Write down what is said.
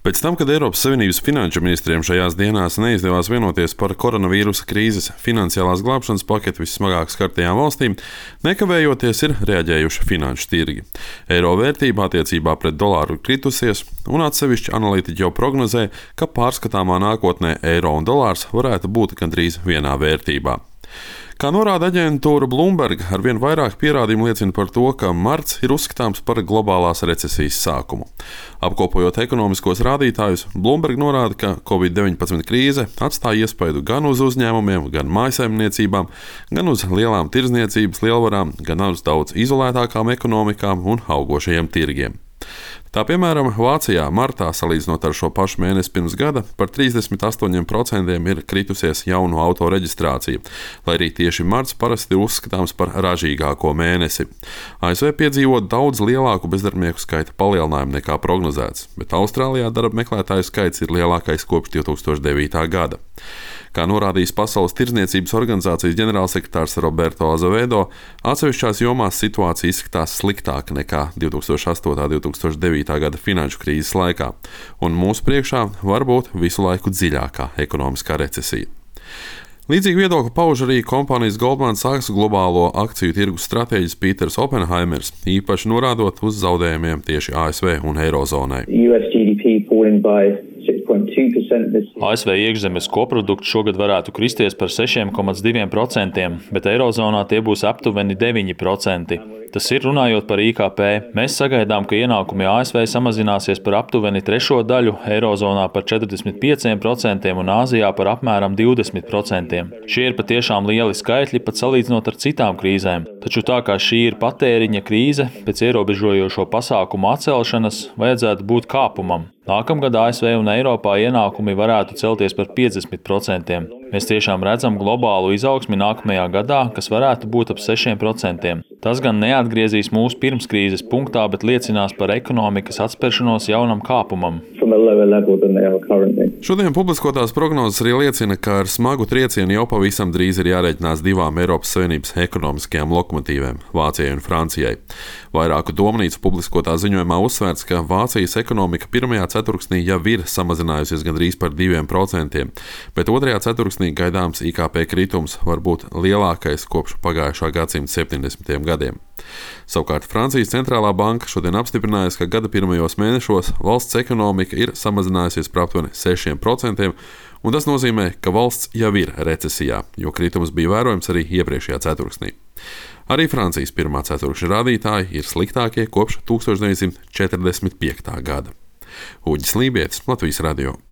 Pēc tam, kad Eiropas Savienības finanšu ministriem šajās dienās neizdevās vienoties par koronavīrusa krīzes finansiālās glābšanas paketi vissmagāk skartajām valstīm, nekavējoties ir reaģējuši finanšu tirgi. Eiro vērtība attiecībā pret dolāru ir kritusies, un atsevišķi analītiķi jau prognozē, ka pārskatāmā nākotnē eiro un dolārs varētu būt gandrīz vienā vērtībā. Kā norāda aģentūra Bloomberg, arvien vairāk pierādījumu liecina par to, ka marts ir uzskatāms par globālās recesijas sākumu. Apkopojot ekonomiskos rādītājus, Bloomberg norāda, ka Covid-19 krīze atstāja iespaidu gan uz uzņēmumiem, gan mājsaimniecībām, gan uz lielām tirdzniecības lielvarām, gan uz daudz izolētākām ekonomikām un augošajiem tirgiem. Tā piemēram, Vācijā martā, salīdzinot ar šo pašu mēnesi pirms gada, par 38% ir kritusies jaunu auto reģistrācija, lai arī tieši marts parasti ir uzskatāms par ražīgāko mēnesi. ASV piedzīvo daudz lielāku bezdarbnieku skaita palielinājumu nekā prognozēts, bet Austrālijā darba meklētāju skaits ir lielākais kopš 2009. gada. Kā norādījis Pasaules tirdzniecības organizācijas ģenerālsekretārs Roberto Azevedo, atsevišķās jomās situācija izskatās sliktāka nekā 2008. un 2009. gada finanšu krīzes laikā, un mūsu priekšā var būt visu laiku dziļākā ekonomiskā recesija. Līdzīgi viedokli pauž arī kompānijas Goldman Sachs globālo akciju tirgus stratēģis Pīters Oppenheimers, īpaši norādot uz zaudējumiem tieši ASV un Eirozonai. ASV iekšzemes koprodukts šogad varētu kristies par 6,2%, bet Eirozonā tie būs aptuveni 9%. Tas ir runājot par IKP. Mēs sagaidām, ka ienākumi ASV samazināsies par aptuveni trešo daļu, Eirozonā par 45% un Āzijā par apmēram 20%. Šie ir patiešām lieli skaitļi, pat salīdzinot ar citām krīzēm. Taču tā kā šī ir patēriņa krīze, pēc ierobežojošo pasākumu atcelšanas vajadzētu būt kāpumam. Nākamgad ASV un Eiropā ienākumi varētu celties par 50%. Mēs tiešām redzam globālu izaugsmi nākamajā gadā, kas varētu būt ap 6%. Tas gan neatgriezīs mūsu pirmskrīzes punktā, bet liecinās par ekonomikas atspēršanos jaunam kāpumam. Šodien publiskotās prognozes arī liecina, ka ar smagu triecienu jau pavisam drīz ir jārēķinās divām Eiropas Savienības ekonomiskajām lokomotīvēm – Vācijai un Francijai. Vairāku domnīcu publiskotā ziņojumā uzsvērts, ka Vācijas ekonomika pirmajā ceturksnī jau ir samazinājusies gandrīz par 2%, bet otrajā ceturksnī gaidāms IKP kritums var būt lielākais kopš pagājušā gadsimta 70. gadiem. Savukārt Francijas centrālā banka šodien apstiprinājusi, ka gada pirmajos mēnešos valsts ekonomika ir samazinājusies par aptuveni 6%, un tas nozīmē, ka valsts jau ir recesijā, jo kritums bija vērojams arī iepriekšējā ceturksnī. Arī Francijas pirmā ceturkšņa rādītāji ir sliktākie kopš 1945. gada. Uģis Lībietis, Latvijas radio.